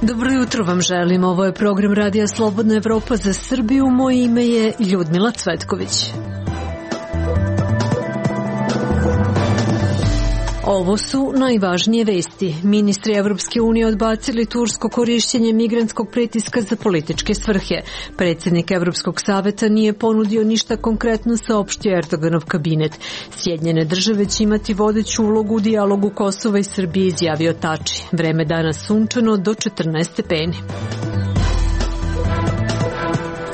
Dobro jutro vam želim, ovo je program Radija Slobodna Evropa za Srbiju, moje ime je Ljudmila Cvetković. Ovo su najvažnije vesti. Ministri Evropske unije odbacili tursko korišćenje migrantskog pritiska za političke svrhe. Predsjednik Evropskog saveta nije ponudio ništa konkretno, saopštio Erdoganov kabinet. Sjedinjene države će imati vodeću ulogu u dijalogu Kosova i Srbije, izjavio Tači. Vreme danas sunčano do 14 stepeni.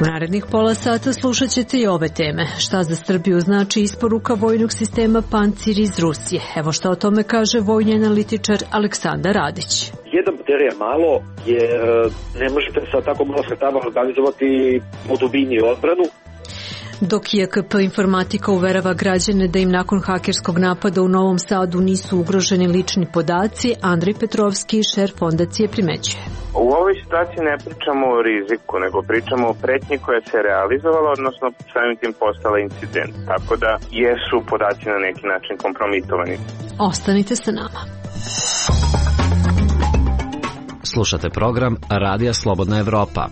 U narednih pola sata slušat ćete i ove teme. Šta za Srbiju znači isporuka vojnog sistema Pancir iz Rusije? Evo šta o tome kaže vojni analitičar Aleksandar Radić. Jedan baterija je malo, jer ne možete sa tako malo sredstava organizovati po dubini odbranu. Dok JKP Informatika uverava građane da im nakon hakerskog napada u Novom Sadu nisu ugroženi lični podaci, Andrej Petrovski, šef fondacije, primećuje. U ovoj situaciji ne pričamo o riziku, nego pričamo o pretnji koja se realizovala, odnosno samim tim postala incident. Tako da jesu podaci na neki način kompromitovani. Ostanite sa nama. Slušate program Radija Slobodna Evropa.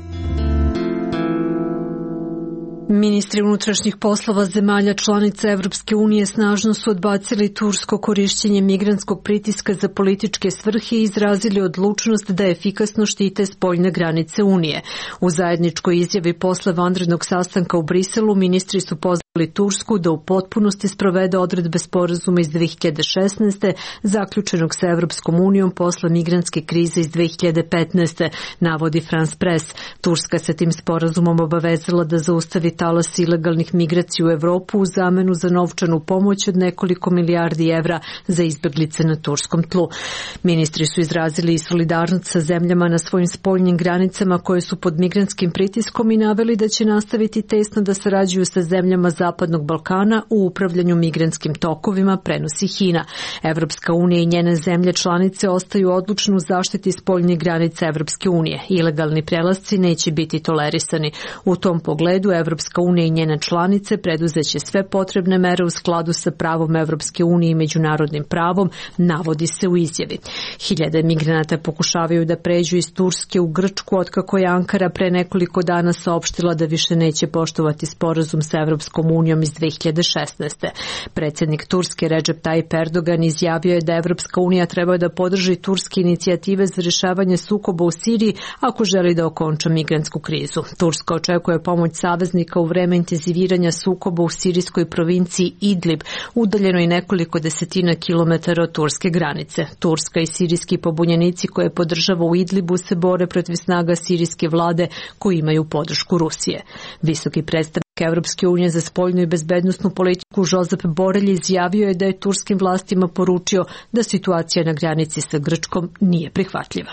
Ministri unutrašnjih poslova zemalja članica Evropske unije snažno su odbacili tursko korišćenje migrantskog pritiska za političke svrhe i izrazili odlučnost da efikasno štite spoljne granice Unije. U zajedničkoj izjavi posle vanrednog sastanka u Briselu ministri su pozvali Tursku da u potpunosti sprovede odredbe sporazuma iz 2016. zaključenog sa Evropskom unijom posle migrantske krize iz 2015. navodi France Press. Turska se tim sporazumom obavezala da zaustavi talas ilegalnih migracija u Evropu u zamenu za novčanu pomoć od nekoliko milijardi evra za izbeglice na turskom tlu. Ministri su izrazili i solidarnost sa zemljama na svojim spoljnim granicama koje su pod migrantskim pritiskom i naveli da će nastaviti tesno da sarađuju sa zemljama Zapadnog Balkana u upravljanju migrantskim tokovima, prenosi HINA. Evropska unija i njene zemlje članice ostaju odlučne u zaštiti spoljnih granica Evropske unije. Ilegalni prelasci neće biti tolerisani. U tom pogledu Evropska unija i njene članice preduzeće sve potrebne mere u skladu sa pravom Evropske unije i međunarodnim pravom, navodi se u izjavi. Hiljade migranata pokušavaju da pređu iz Turske u Grčku otkako je Ankara pre nekoliko dana saopštila da više neće poštovati sporazum sa Evropskom unijom iz 2016. Predsjednik Turske Recep Tayyip Erdogan izjavio je da Evropska unija treba da podrži turske inicijative za rješavanje sukoba u Siriji ako želi da okonča migrantsku krizu. Turska očekuje pomoć saveznika u vreme intenziviranja sukoba u sirijskoj provinciji Idlib, udaljenoj nekoliko desetina kilometara od turske granice. Turska i sirijski pobunjenici koje podržava u Idlibu se bore protiv snaga sirijske vlade koji imaju podršku Rusije. Visoki predstavnik Evropske unije za spoljnu i bezbednosnu politiku Josep Borrell izjavio je da je turskim vlastima poručio da situacija na granici sa Grčkom nije prihvatljiva.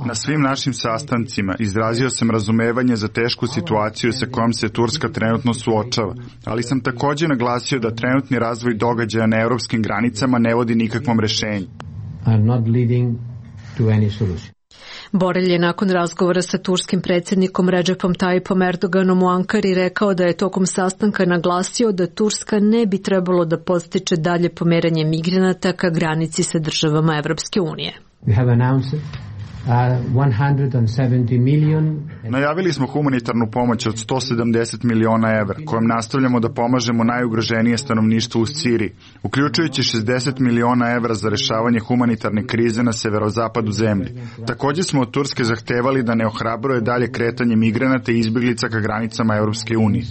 Na svim našim sastancima izrazio sam razumevanje za tešku situaciju sa kojom se Turska trenutno suočava, ali sam također naglasio da trenutni razvoj događaja na europskim granicama ne vodi nikakvom rešenju. Borrell je nakon razgovora sa turskim predsjednikom Recepom Tayyipom Erdoganom u Ankari rekao da je tokom sastanka naglasio da Turska ne bi trebalo da podstiče dalje pomeranje migranata ka granici sa državama Evropske unije. Najavili smo humanitarnu pomoć od 170 miliona evra, kojom nastavljamo da pomažemo najugroženije stanovništvo u Siriji, uključujući 60 miliona evra za rešavanje humanitarne krize na severozapadu zemlje. Također smo od Turske zahtevali da ne ohrabruje dalje kretanje migranata i izbjeglica ka granicama Europske unije.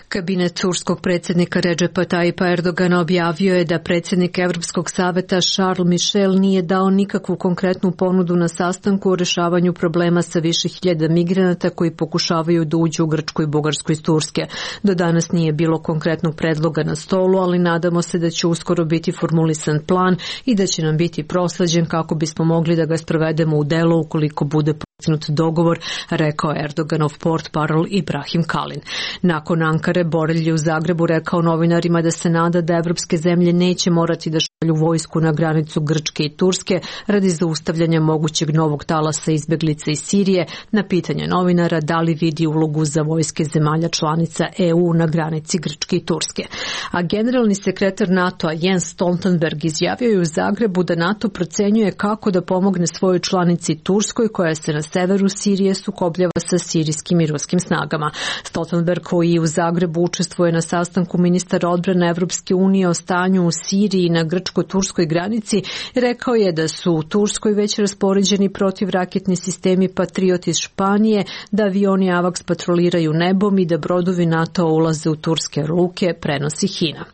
Kabinet turskog predsjednika Recepa Tayyipa Erdogana objavio je da predsjednik Evropskog saveta Charles Michel nije dao nikakvu konkretnu ponudu na sastanku o rešavanju problema sa više hiljada migranata koji pokušavaju da uđu u Grčku i Bugarsku iz Turske. Do danas nije bilo konkretnog predloga na stolu, ali nadamo se da će uskoro biti formulisan plan i da će nam biti prosleđen kako bismo mogli da ga sprovedemo u delo ukoliko bude dogovor, rekao Erdoganov portparol Ibrahim Kalin. Nakon Ankare, Borelj je u Zagrebu rekao novinarima da se nada da evropske zemlje neće morati da šalju vojsku na granicu Grčke i Turske radi zaustavljanja mogućeg novog talasa izbeglica iz Sirije. Na pitanje novinara da li vidi ulogu za vojske zemalja članica EU na granici Grčke i Turske. A generalni sekretar NATO-a Jens Stoltenberg izjavio je u Zagrebu da NATO procenjuje kako da pomogne svojoj članici Turskoj koja se na severu Sirije sukobljava sa sirijskim i ruskim snagama. Stoltenberg, koji u Zagrebu učestvuje na sastanku ministara odbrane Evropske unije o stanju u Siriji i na grčko-turskoj granici, rekao je da su u Turskoj već raspoređeni protivraketni sistemi Patriot iz Španije, da avioni AWACS patroliraju nebom i da brodovi NATO ulaze u turske luke, prenosi HINA.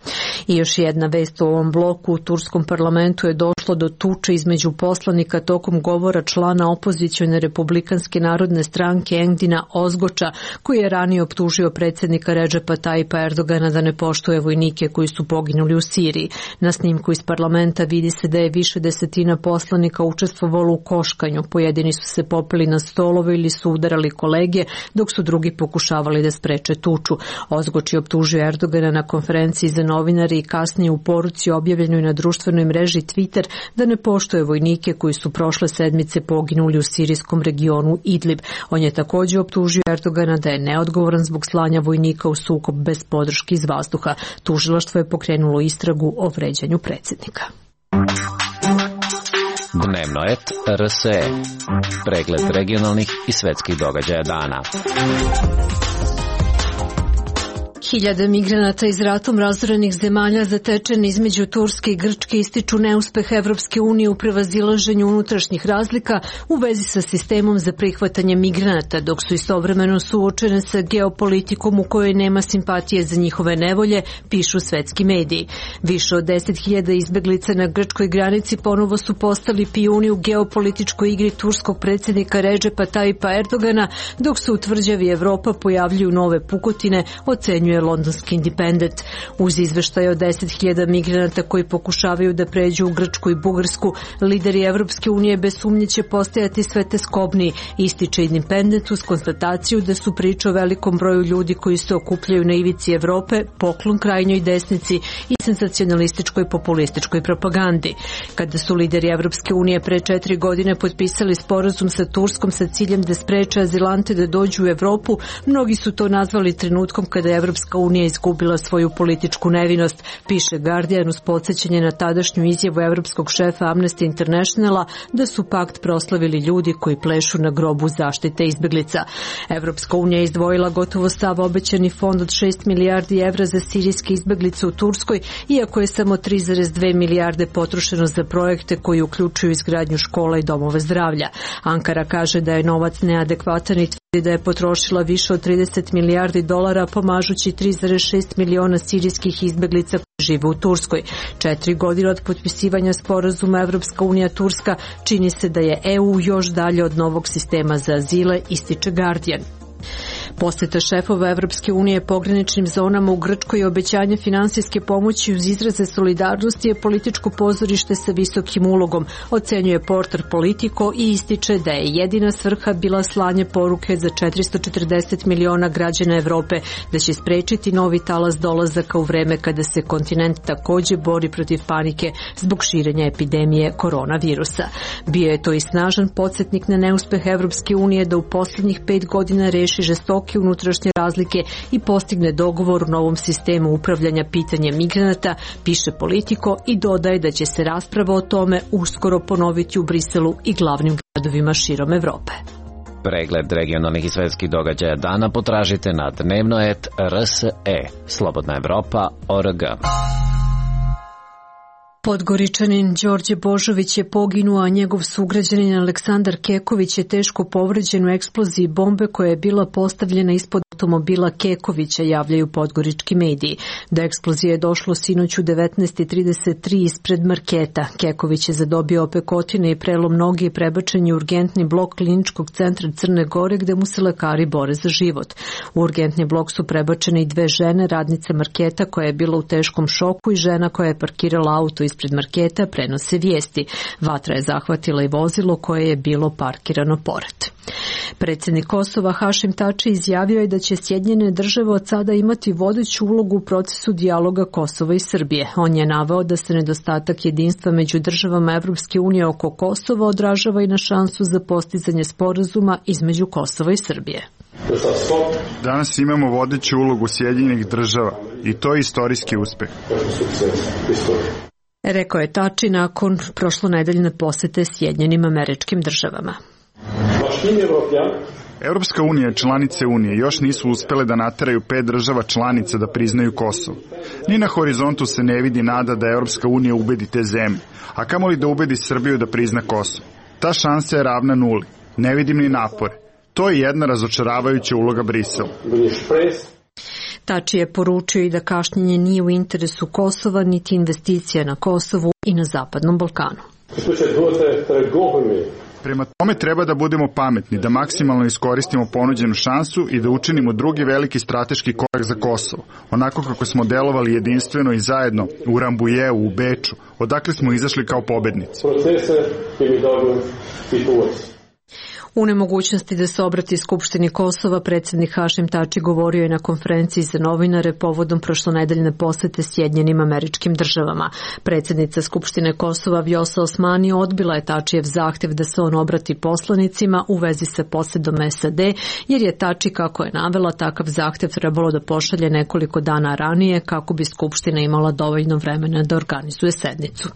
I još jedna vest u ovom bloku: u turskom parlamentu je došlo do tuče između poslanika tokom govora člana opozicione Republikanske narodne stranke Engdina Ozgoča, koji je ranije optužio predsjednika Redžepa Tajipa Erdogana da ne poštuje vojnike koji su poginuli u Siriji. Na snimku iz parlamenta vidi se da je više desetina poslanika učestvovalo u koškanju. Pojedini su se popeli na stolove ili su udarali kolege, dok su drugi pokušavali da spreče tuču. Ozgoč je optužio Erdogana na konferenciji za novinare i kasnije u poruci objavljenoj na društvenoj mreži Twitter da ne poštuje vojnike koji su prošle sedmice poginuli u sirijskom regionu Idlib. On je također optužio Erdogana da je neodgovoran zbog slanja vojnika u sukob bez podrške iz vazduha. Tužilaštvo je pokrenulo istragu o vređanju predsjednika. Dnevno et RSE. Pregled regionalnih i svetskih događaja dana. Hiljade migranata iz ratom razorenih zemalja zatečeni između Turske i Grčke ističu neuspeh Evropske unije u prevazilaženju unutrašnjih razlika u vezi sa sistemom za prihvatanje migranata, dok su istovremeno suočene sa geopolitikom u kojoj nema simpatije za njihove nevolje, pišu svetski mediji. Više od 10.000 izbeglica na grčkoj granici ponovo su postali pijuni u geopolitičkoj igri turskog predsjednika Redžepa Tajipa Erdogana, dok se u tvrđavi Evropa pojavljuju nove pukotine, ocenjuje londonski Independent. Uz izveštaje od 10.000 migranata koji pokušavaju da pređu u Grčku i Bugarsku, lideri Evropske unije bez sumnje će postajati sve teskobniji, ističe Independent uz konstataciju da su priče o velikom broju ljudi koji se okupljaju na ivici Evrope poklon krajnjoj desnici i senzacionalističkoj populističkoj propagandi. Kada su lideri Evropske unije pre 4 godine potpisali sporazum sa Turskom sa ciljem da spreče azilante da dođu u Evropu, mnogi su to nazvali trenutkom kada je Evropska unija izgubila svoju političku nevinost, piše Guardian uz podsjećanje na tadašnju izjavu evropskog šefa Amnesty Internationala da su pakt proslavili ljudi koji plešu na grobu zaštite izbeglica. Evropska unija je izdvojila gotovo sav obećani fond od 6 milijardi evra za sirijske izbeglice u Turskoj, iako je samo 3,2 milijarde potrošeno za projekte koji uključuju izgradnju škola i domove zdravlja. Ankara kaže da je novac neadekvatan i tvrdi da je potrošila više od 30 milijardi dolara pomažući 3,6 miliona sirijskih izbeglica koji žive u Turskoj. 4 godine od potpisivanja sporazuma Evropska unija Turska čini se da je EU još dalje od novog sistema za azile, ističe Guardian. Posjeta šefova Evropske unije pograničnim zonama u Grčkoj i obećanje finansijske pomoći uz izraze solidarnosti je političko pozorište sa visokim ulogom, ocenjuje portal Politico i ističe da je jedina svrha bila slanje poruke za 440 miliona građana Evrope da će sprečiti novi talas dolazaka u vreme kada se kontinent također bori protiv panike zbog širenja epidemije koronavirusa. Bio je to i snažan podsjetnik na neuspeh Evropske unije da u posljednjih 5 godina reši žestoke unutrašnje razlike i postigne dogovor u novom sistemu upravljanja pitanjem migranata, piše Politico i dodaje da će se rasprava o tome uskoro ponoviti u Briselu i glavnim gradovima širom Evrope. Pregled regionalnih i svetskih događaja dana potražite na dnevno.rs.e. Slobodna Evropa.org. Podgoričanin Đorđe Božović je poginuo, a njegov sugrađanin Aleksandar Keković je teško povređen u eksploziji bombe koja je bila postavljena ispod automobila Kekovića, javljaju podgorički mediji. Do eksplozije je došlo sinoć u 19:33 ispred marketa. Keković je zadobio opekotine i prelom noge i prebačen je u urgentni blok kliničkog centra Crne Gore gde mu se lekari bore za život. U urgentni blok su prebačene i 2 žene, radnice marketa koja je bila u teškom šoku i žena koja je parkirala auto ispred marketa, prenose vijesti. Vatra je zahvatila i vozilo koje je bilo parkirano pored. Predsjednik Kosova Hašim Tači izjavio je da će Sjedinjene države od sada imati vodeću ulogu u procesu dijaloga Kosova i Srbije. On je naveo da se nedostatak jedinstva među državama Evropske unije oko Kosova odražava i na šansu za postizanje sporazuma između Kosova i Srbije. Danas imamo vodeću ulogu Sjedinjenih država i to je istorijski uspeh. Rekao je Tači nakon prošlonedeljne posete Sjedinjenim Američkim Državama. Evropska unija i članice Unije još nisu uspele da nateraju 5 država članica da priznaju Kosovo. Ni na horizontu se ne vidi nada da Evropska unija ubedi te zemlje, a kamoli da ubedi Srbiju da prizna Kosovo. Ta šansa je ravna nuli. Ne vidim ni napore. To je jedna razočaravajuća uloga Brisela. Tači je poručio i da kašnjenje nije u interesu Kosova, niti investicija na Kosovu i na Zapadnom Balkanu. Prema tome treba da budemo pametni, da maksimalno iskoristimo ponuđenu šansu i da učinimo drugi veliki strateški korak za Kosovo, onako kako smo delovali jedinstveno i zajedno u Rambujeu, u Beču, odakle smo izašli kao pobednici. U nemogućnosti da se obrati Skupštini Kosova, predsjednik Hašim Tači govorio je na konferenciji za novinare povodom prošlonedeljne posete Sjedinjenim Američkim Državama. Predsjednica Skupštine Kosova Vjosa Osmani odbila je Tačijev zahtev da se on obrati poslanicima u vezi sa posedom SAD, jer je Tači, kako je navela, takav zahtev trebalo da pošalje nekoliko dana ranije kako bi Skupština imala dovoljno vremena da organizuje sednicu.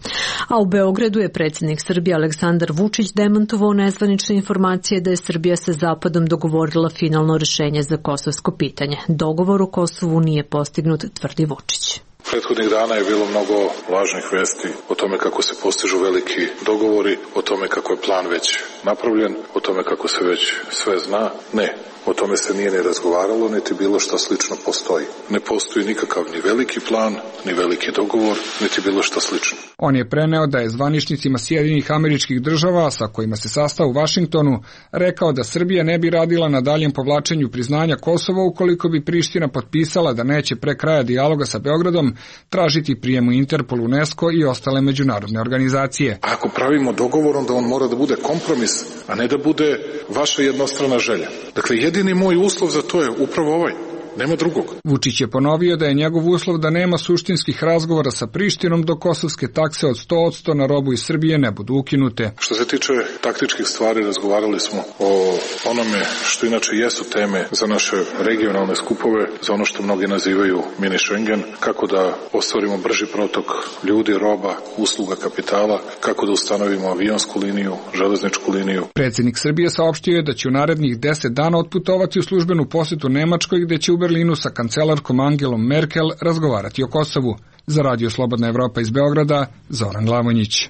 A u Beogradu je predsjednik Srbije Aleksandar Vučić demantovao nezvanične informacije da je Srbija sa Zapadom dogovorila finalno rješenje za kosovsko pitanje. Dogovor u Kosovu nije postignut, tvrdi Vučić. Prethodnih dana je bilo mnogo važnih vesti o tome kako se postižu veliki dogovori, o tome kako je plan već napravljen, o tome kako se već sve zna. Ne, o tome se nije ni razgovaralo, niti bilo šta slično postoji. Ne postoji nikakav ni veliki plan, ni veliki dogovor, niti bilo šta slično. On je preneo da je zvaničnicima Sjedinjenih Američkih Država, sa kojima se sastao u Vašingtonu, rekao da Srbija ne bi radila na daljem povlačenju priznanja Kosova ukoliko bi Priština potpisala da neće pre kraja dijaloga sa Beogradom tražiti prijem u Interpol, UNESCO i ostale međunarodne organizacije. Ako pravimo dogovor, onda on mora da bude kompromis, a ne da bude vaša jednostrana želja. Dakle, jedini moj uslov za to je upravo ovaj. Nema drugog. Vučić je ponovio da je njegov uslov da nema suštinskih razgovora sa Prištinom dok kosovske takse od 100% na robu iz Srbije ne budu ukinute. Što se tiče taktičkih stvari, razgovarali smo o onome što inače jesu teme za naše regionalne skupove, za ono što mnogi nazivaju mini Schengen, kako da ostvarimo brži protok ljudi, roba, usluga, kapitala, kako da ustanovimo avionsku liniju, železničku liniju. Predsjednik Srbije saopštio je da će u narednih 10 dana otputovati u službenu posetu Nemačkoj, gde će u Berlinu sa kancelarkom Angelom Merkel razgovarati o Kosovu. Za Radio Slobodna Evropa iz Beograda, Zoran Glavonjić.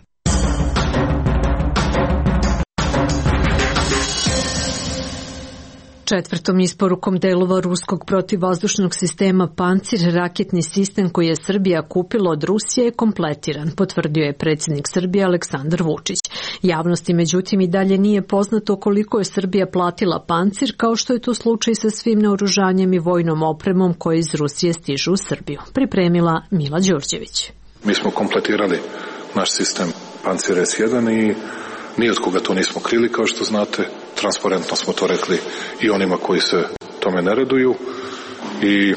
Četvrtom isporukom delova ruskog protivvazdušnog sistema Pancir, raketni sistem koji je Srbija kupila od Rusije je kompletiran, potvrdio je predsjednik Srbije Aleksandar Vučić. Javnosti međutim i dalje nije poznato koliko je Srbija platila Pancir, kao što je to slučaj sa svim naoružanjem i vojnom opremom koje iz Rusije stižu u Srbiju. Pripremila Mila Đurđević. Mi smo kompletirali naš sistem Pancir S1 i ni od koga to nismo krili, kao što znate. Transparentno smo to rekli i onima koji se tome ne raduju i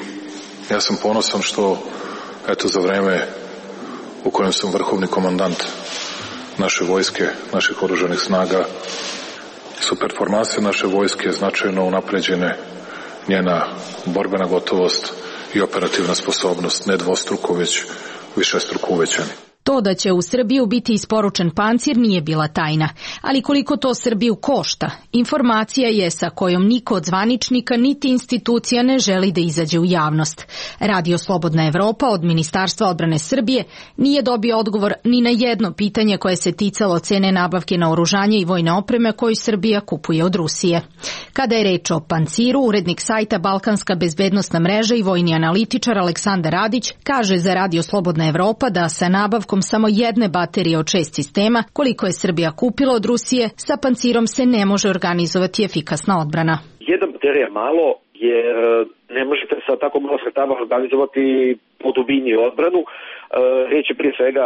ja sam ponosan što eto za vreme u kojem sam vrhovni komandant naše vojske, naših oružanih snaga, su performanse naše vojske značajno unapređene, njena borbena gotovost i operativna sposobnost ne dvostruko, već višestruko uvećani. To da će u Srbiju biti isporučen Pancir nije bila tajna, ali koliko to Srbiju košta, informacija je sa kojom niko od zvaničnika niti institucija ne želi da izađe u javnost. Radio Slobodna Evropa od Ministarstva odbrane Srbije nije dobio odgovor ni na jedno pitanje koje se ticalo cene nabavke naoružanja i vojne opreme koju Srbija kupuje od Rusije. Kada je reč o Panciru, urednik sajta Balkanska bezbednosna mreža i vojni analitičar Aleksandar Radić kaže za Radio Slobodna Evropa da sa nabavkom samo jedne baterije od 6 sistema, koliko je Srbija kupila od Rusije, sa Pancirom se ne može organizovati efikasna odbrana. Jedna baterija malo, jer ne možete sa tako malo sredstava organizovati po dubini odbranu. Riječ je prije svega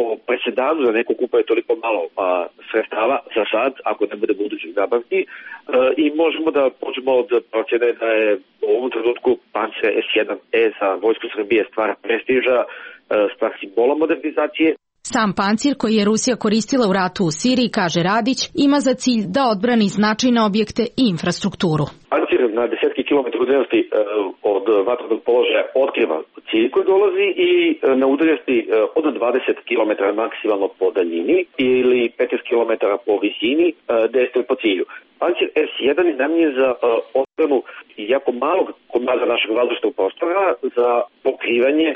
o presedanu da neko kupuje toliko malo sredstava za sad, ako ne bude budućih nabavki, i možemo da počnemo od procjene da je u ovom trenutku Pancer S1E za vojsku Srbije stvar prestiža, stvar simbola modernizacije. Sam pancir koji je Rusija koristila u ratu u Siriji, kaže Radić, ima za cilj da odbrani značajne objekte i infrastrukturu. Pancir na desetki kilometara udaljenosti od vatrenog položaja otkriva cilj koji dolazi i na udaljenosti od 20 km maksimalno po daljini ili 15 km po visini dejstvuje po cilju. Pancir S1 je namijenjen za odbranu jako malog komada našeg vazdušnog prostora za pokrivanje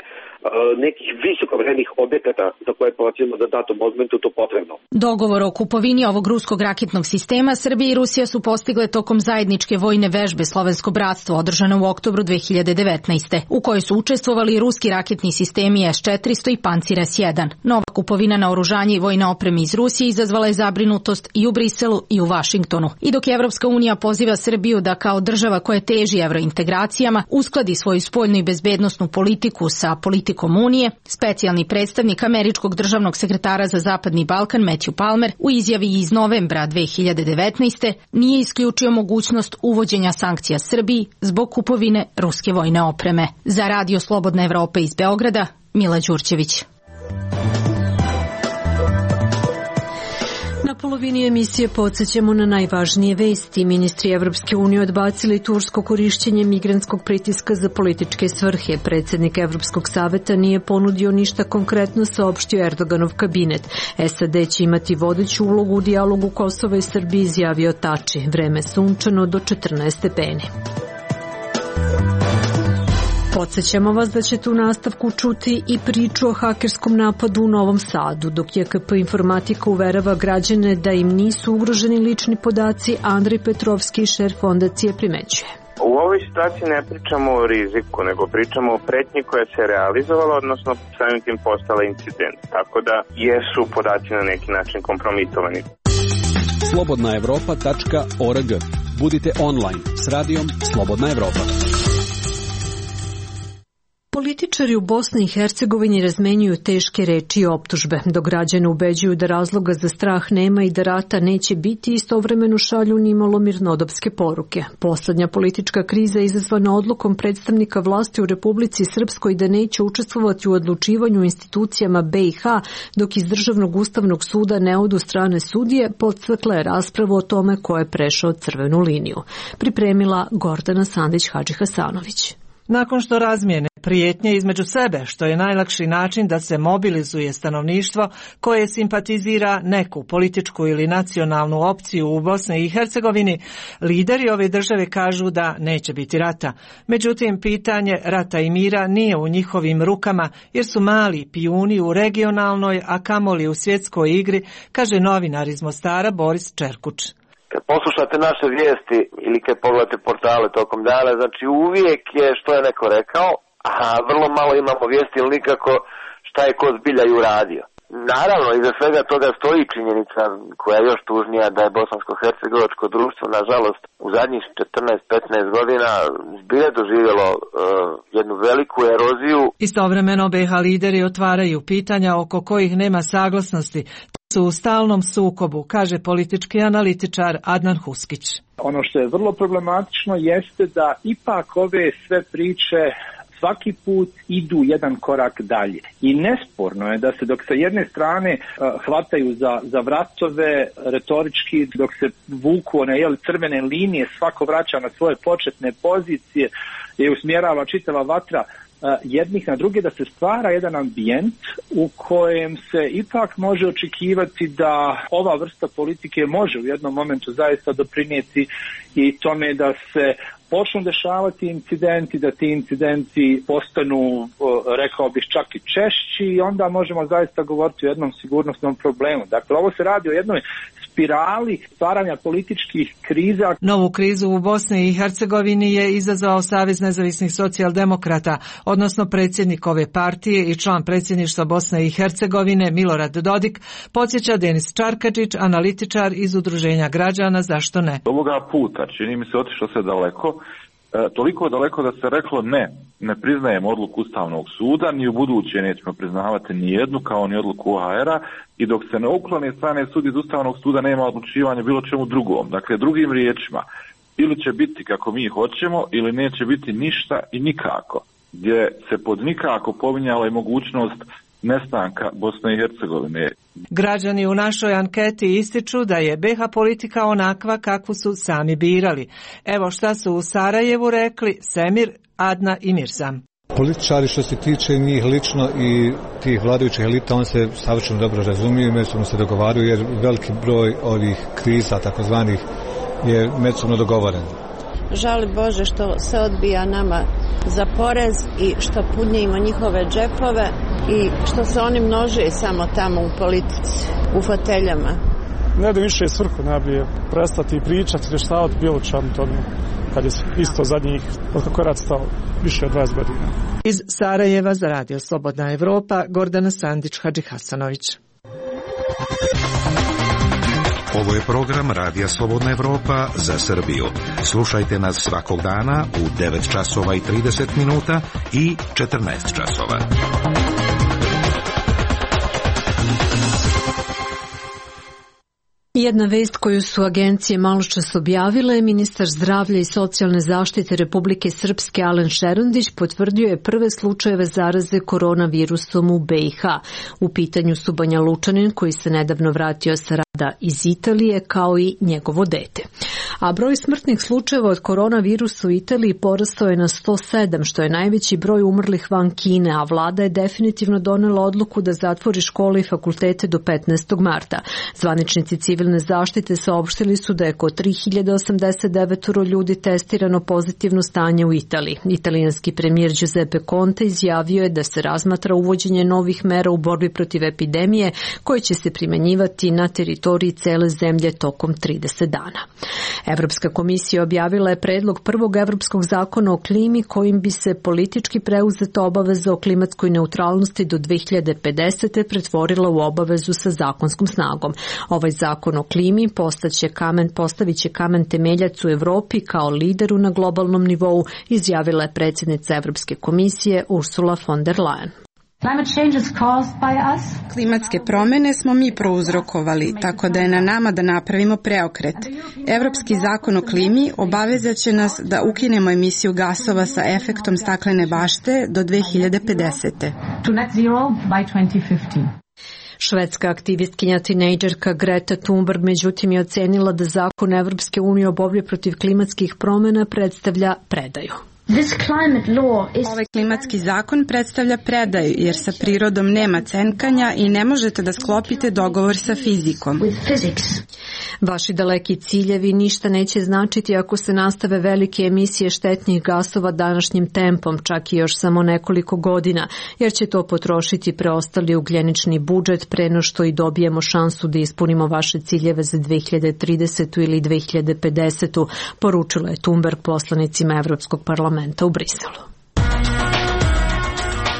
nekih visoko-vrednih objekata za koje procjenimo da datom momentu to potrebno. Dogovor o kupovini ovog ruskog raketnog sistema Srbija i Rusija su postigle tokom zajedničke vojne vežbe Slovensko bratstvo održane u oktobru 2019. u kojoj su učestvovali ruski raketni sistemi S-400 i Pancir S-1. Nova kupovina naoružanja i vojne opreme iz Rusije izazvala je zabrinutost i u Briselu i u Vašingtonu. I dok Evropska unija poziva Srbiju da kao država koja teži evrointegracijama uskladi svoju spoljnu i bezbednosnu politiku sa politikom Unije, specijalni predstavnik američkog državnog sekretara za Zapadni Balkan Matthew Palmer u izjavi iz novembra 2019. nije isključio mogućnost uvođenja sankcija Srbiji zbog kupovine ruske vojne opreme. Za Radio Slobodna Evropa iz Beograda, Mila Đurđević. Na polovini emisije podsjećamo na najvažnije vesti. Ministri Evropske unije odbacili tursko korišćenje migrantskog pritiska za političke svrhe. Predsjednik Evropskog saveta nije ponudio ništa konkretno, saopštio Erdoganov kabinet. SAD će imati vodeću ulogu u dijalogu Kosova i Srbije, izjavio Tači. Vreme sunčano do 14 stepeni. Podsjećamo vas da ćete u nastavku čuti i priču o hakerskom napadu u Novom Sadu. Dok JKP Informatika uverava građane da im nisu ugroženi lični podaci, Andrej Petrovski, šef fondacije, primećuje. U ovoj situaciji ne pričamo o riziku, nego pričamo o pretnji koja se realizovala, odnosno samim tim postala incident. Tako da jesu podaci na neki način kompromitovani. slobodnaevropa.org. Budite online s radijom Slobodna Evropa. Političari u Bosni i Hercegovini razmenjuju teške reči i optužbe, dok građane ubeđuju da razloga za strah nema i da rata neće biti, istovremeno šalju nimalo mirnodopske poruke. Poslednja politička kriza je izazvana odlukom predstavnika vlasti u Republici Srpskoj da neće učestvovati u odlučivanju u institucijama BiH, dok iz Državnog ustavnog suda ne odu strane sudije, podstakla je raspravu o tome ko je prešao crvenu liniju. Pripremila Gordana Sandić-Hadžihasanović. Nakon što razmijene prijetnje između sebe, što je najlakši način da se mobilizuje stanovništvo koje simpatizira neku političku ili nacionalnu opciju u Bosni i Hercegovini, lideri ove države kažu da neće biti rata. Međutim, pitanje rata i mira nije u njihovim rukama jer su mali pijuni u regionalnoj, a kamoli u svjetskoj igri, kaže novinar iz Mostara Boris Čerkuć. Kad poslušate naše vijesti ili kad pogledate portale tokom dana, znači uvijek je što je neko rekao, a vrlo malo imamo vijesti ili nikako šta je ko zbilja i uradio. Naravno, iza svega toga stoji činjenica koja je još tužnija da je bosansko-hercegovačko društvo, nažalost, u zadnjih 14-15 godina zbilja doživjelo jednu veliku eroziju. Istovremeno BiH lideri otvaraju pitanja oko kojih nema saglasnosti. Su u stalnom sukobu, kaže politički analitičar Adnan Huskić. Ono što je vrlo problematično jeste da ipak ove sve priče svaki put idu jedan korak dalje. I nesporno je da se dok sa jedne strane hvataju za vratove retorički, dok se vuku one crvene linije, svako vraća na svoje početne pozicije i usmjerava čitava vatra jednih na druge, da se stvara jedan ambijent u kojem se ipak može očekivati da ova vrsta politike može u jednom momentu zaista doprinijeti i tome da se počnu dešavati incidenti, da ti incidenti postanu, rekao bih, čak i češći i onda možemo zaista govoriti o jednom sigurnosnom problemu. Dakle, ovo se radi o jednoj spirali stvaranja političkih kriza. Novu krizu u Bosni i Hercegovini je izazvao Savez nezavisnih socijaldemokrata, odnosno predsjednik ove partije i član predsjedništva Bosne i Hercegovine Milorad Dodik, podsjeća Denis Čarkadžić, analitičar iz Udruženja građana Zašto ne. Ovoga puta, čini mi se, otišlo se daleko toliko daleko da se reklo ne priznajemo odluku Ustavnog suda, ni u buduće nećemo priznavati ni jednu kao ni odluku OHR-a, i dok se ne uklone strane sudije iz Ustavnog suda nema odlučivanja bilo čemu drugom. Dakle, drugim riječima, ili će biti kako mi hoćemo ili neće biti ništa i nikako, gdje se pod nikako pominjala i mogućnost nestanka Bosne i Hercegovine. Građani u našoj anketi ističu da je BiH politika onakva kakvu su sami birali. Evo šta su u Sarajevu rekli Semir, Adna i Mirzam. Političari što se tiče njih lično i tih vladajućih elita, on se savršeno dobro razumiju i međusobno se dogovaraju, jer veliki broj ovih kriza takozvanih je međusobno dogovoren. Žali Bože što se odbija nama za porez i što punjimo njihove džepove i što se oni množe samo tamo u politici, u foteljama. Ne da više svrhu nabije, prestati pričati, rještavati bilo čemu tome, kad je isto zadnjih, od kako je rad stao, više od 20 godina. Iz Sarajeva za Radio Slobodna Evropa, Gordana Sandić, Hadži Hasanović. Ovo je program Radija Slobodna Evropa za Srbiju. Slušajte nas svakog dana u 9 časova i 30 minuta i 14 časova. Jedna vest koju su agencije maločas objavile, ministar zdravlja i socijalne zaštite Republike Srpske Alen Šerondić potvrdio je prve slučajeve zaraze koronavirusom u BiH. U pitanju su Banja Lučanin koji se nedavno vratio sa rada iz Italije kao i njegovo dete. A broj smrtnih slučajeva od koronavirusa u Italiji porastao je na 107, što je najveći broj umrlih van Kine, a vlada je definitivno donela odluku da zatvori škole i fakultete do 15. marta. Zvaničnici civilne zaštite saopštili su da je kod 3089 ljudi testirano pozitivno stanje u Italiji. Italijanski premijer Giuseppe Conte izjavio je da se razmatra uvođenje novih mera u borbi protiv epidemije koje će se primenjivati na teritoriji cele zemlje tokom 30 dana. Evropska komisija objavila je predlog prvog evropskog zakona o klimi kojim bi se politički preuzeta obaveza o klimatskoj neutralnosti do 2050. pretvorila u obavezu sa zakonskom snagom. Ovaj zakon o klimi postavit će kamen temeljac u Evropi kao lideru na globalnom nivou, izjavila je predsjednica Evropske komisije Ursula von der Leyen. Klimatske promjene smo mi prouzrokovali, tako da je na nama da napravimo preokret. Evropski zakon o klimi obavezat će nas da ukinemo emisiju gasova sa efektom staklene bašte do 2050. Švedska aktivistkinja tinejdžerka Greta Thunberg međutim je ocenila da zakon Evropske unije o borbi protiv klimatskih promjena predstavlja predaju. Ovaj klimatski zakon predstavlja predaju jer sa prirodom nema cenkanja i ne možete da sklopite dogovor sa fizikom. Vaši daleki ciljevi ništa neće značiti ako se nastave velike emisije štetnih gasova današnjim tempom, čak i još samo nekoliko godina, jer će to potrošiti preostali ugljenični budžet pre no što i dobijemo šansu da ispunimo vaše ciljeve za 2030. ili 2050. poručila je Thunberg poslanicima Evropskog parlamenta u Briselu.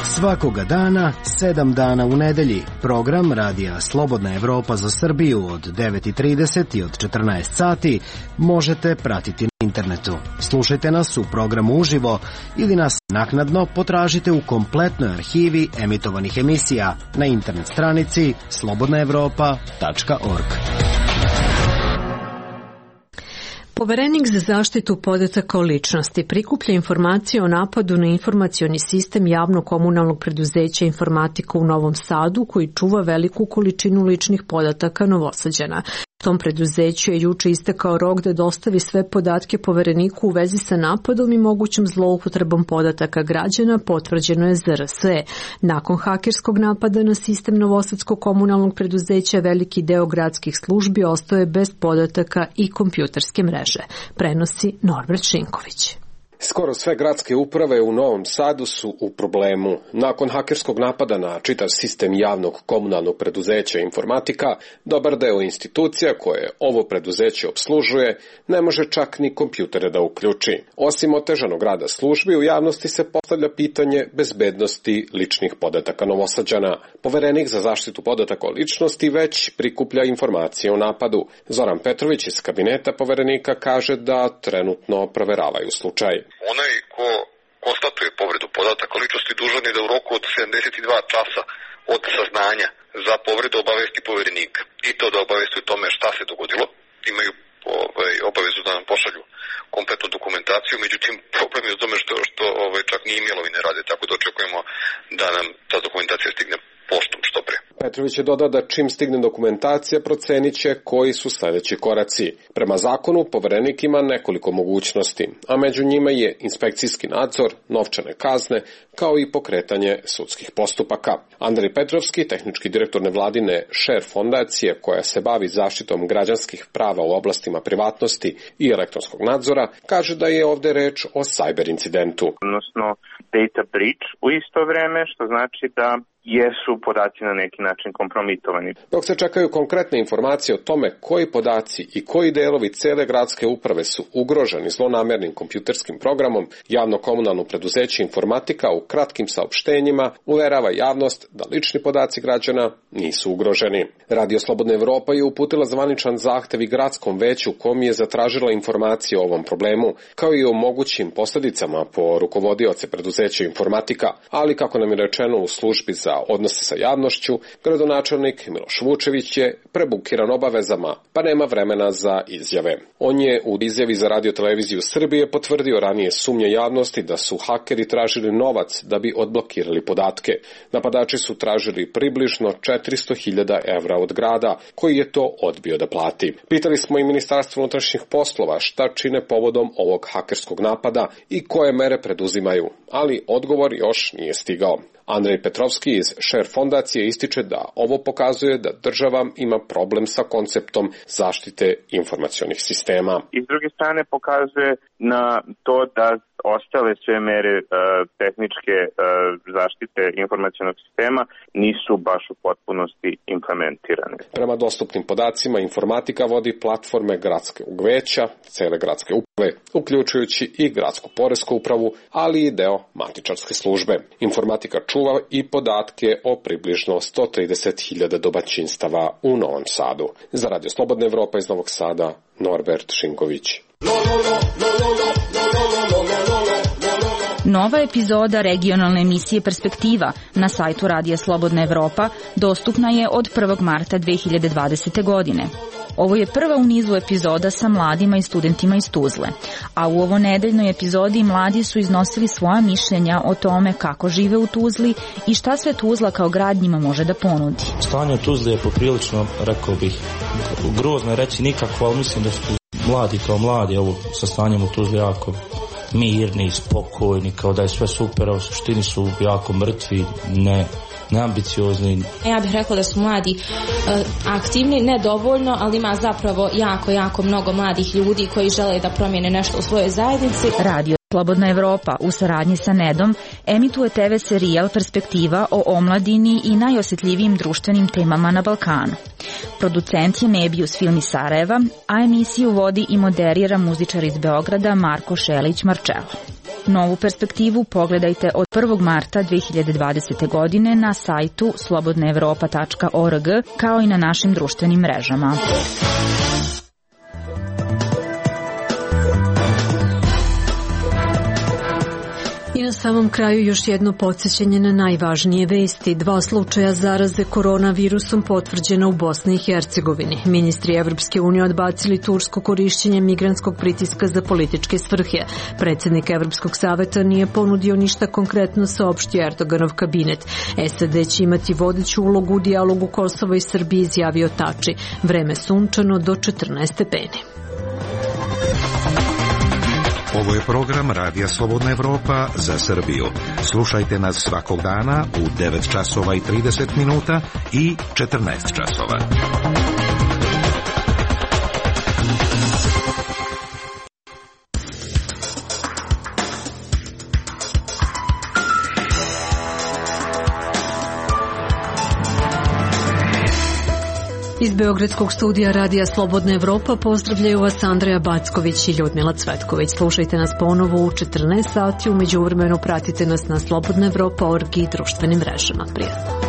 Svakoga dana, 7 dana u nedelji, program Radija Slobodna Evropa za Srbiju od 9:30 i od 14 sati možete pratiti na internetu. Slušajte nas u programu uživo ili nas naknadno potražite u kompletnoj arhivi emitovanih emisija na internet stranici slobodnaevropa.org. Poverenik za zaštitu podataka o ličnosti prikuplja informacije o napadu na informacioni sistem javnog komunalnog preduzeća Informatika u Novom Sadu koji čuva veliku količinu ličnih podataka Novosađana. Tom preduzeću je juče istekao rok da dostavi sve podatke povereniku u vezi sa napadom i mogućom zloupotrebom podataka građana, potvrđeno je ZRSE. Nakon hakerskog napada na sistem Novosadskog komunalnog preduzeća, veliki deo gradskih službi ostao je bez podataka i kompjuterske mreže. Prenosi Norbert Šinković. Skoro sve gradske uprave u Novom Sadu su u problemu. Nakon hakerskog napada na čitav sistem javnog komunalnog preduzeća Informatika, dobar deo institucija koje ovo preduzeće obslužuje ne može čak ni kompjutere da uključi. Osim otežanog rada službi, u javnosti se postavlja pitanje bezbednosti ličnih podataka Novosađana. Poverenik za zaštitu podataka o ličnosti već prikuplja informacije o napadu. Zoran Petrović iz kabineta poverenika kaže da trenutno proveravaju slučaj. Onaj ko konstatuje povredu podataka ličnosti dužan je da u roku od 72 časa od saznanja za povredu obavesti poverenika. I to da obavesti o tome šta se dogodilo. Imaju obavezu da nam pošalju kompletnu dokumentaciju, međutim problem je u tome što čak ni e-mailovi ne rade, tako da očekujemo da nam ta dokumentacija stigne poštom što pre. Petrović je dodao da čim stigne dokumentacija procenit će koji su sledeći koraci. Prema zakonu poverenik ima nekoliko mogućnosti, a među njima je inspekcijski nadzor, novčane kazne, kao i pokretanje sudskih postupaka. Andrej Petrovski, tehnički direktor nevladine Share fondacije koja se bavi zaštitom građanskih prava u oblastima privatnosti i elektronskog nadzora, kaže da je ovde reč o cyber incidentu. Odnosno data breach u isto vreme, što znači da jesu podaci na neki način kompromitovani. Dok se čekaju konkretne informacije o tome koji podaci i koji delovi cele gradske uprave su ugroženi zlonamernim kompjuterskim programom, javno komunalno preduzeće Informatika u kratkim saopštenjima uverava javnost da lični podaci građana nisu ugroženi. Radio Slobodna Evropa je uputila zvaničan zahtev i gradskom veću kom je zatražila informacije o ovom problemu, kao i o mogućim posledicama po rukovodioce preduzeća Informatika, ali kako nam je rečeno u službi za odnose sa javnošću, gradonačelnik Miloš Vučević je prebukiran obavezama, pa nema vremena za izjave. On je u izjavi za Radio-televiziju Srbije potvrdio ranije sumnje javnosti da su hakeri tražili novac da bi odblokirali podatke. Napadači su tražili približno 400.000 evra od grada, koji je to odbio da plati. Pitali smo i Ministarstvo unutrašnjih poslova šta čine povodom ovog hakerskog napada i koje mere preduzimaju, ali odgovor još nije stigao. Andrej Petrovski iz Share fondacije ističe da ovo pokazuje da država ima problem sa konceptom zaštite informacionih sistema. I s druge strane pokazuje na to da ostale sve mere tehničke zaštite informacionog sistema nisu baš u potpunosti implementirane. Prema dostupnim podacima, Informatika vodi platforme gradskog veća, cele gradske uprave, uključujući i gradsku poresku upravu, ali i deo matičarske službe. Informatika čuva i podatke o približno 130.000 domaćinstava u Novom Sadu. Za Radio Slobodna Evropa iz Novog Sada, Norbert Šinković. Nova epizoda regionalne emisije Perspektiva na sajtu Radija Slobodna Evropa dostupna je od 1. marta 2020. godine. Ovo je prva u nizu epizoda sa mladima i studentima iz Tuzle, a u ovo nedeljnoj epizodi mladi su iznosili svoja mišljenja o tome kako žive u Tuzli i šta sve Tuzla kao grad njima može da ponudi. Stanje u Tuzli je poprilično, rekao bih, grozno je reći nikako, ali mislim da su mladi kao mladi, ovo sa stanjem u Tuzli jako mirni, spokojni, kao da je sve super, a u suštini su jako mrtvi, neambiciozni. Ja bih rekla da su mladi aktivni, ne dovoljno, ali ima zapravo jako mnogo mladih ljudi koji žele da promijene nešto u svojoj zajednici. Radio Slobodna Evropa u saradnji sa NED-om emituje TV serijal Perspektiva o omladini i najosjetljivijim društvenim temama na Balkanu. Producent je Mebius Film iz Sarajeva, a emisiju vodi i moderira muzičar iz Beograda Marko Šelić-Marčelo. Novu Perspektivu pogledajte od 1. marta 2020. godine na sajtu slobodnaevropa.org kao i na našim društvenim mrežama. I na samom kraju još jedno podsjećanje na najvažnije vesti. 2 slučaja zaraze koronavirusom potvrđena u Bosni i Hercegovini. Ministri Evropske unije odbacili tursko korišćenje migrantskog pritiska za političke svrhe. Predsjednik Evropskog saveta nije ponudio ništa konkretno, saopštio Erdoganov kabinet. SAD će imati vodeću ulogu u dijalogu Kosova i Srbije, izjavio Tači. Vreme sunčano do 14 stepeni. Ovo je program Radija Slobodna Evropa za Srbiju. Slušajte nas svakog dana u 9 časova i 30 minuta i 14 časova. Iz Beogradskog studija Radija Slobodna Evropa pozdravljaju vas Andreja Backović i Ljudmila Cvetković. Slušajte nas ponovo u 14 sati, u međuvremenu pratite nas na slobodnaevropa.org i društvenim mrežama. Prijatno.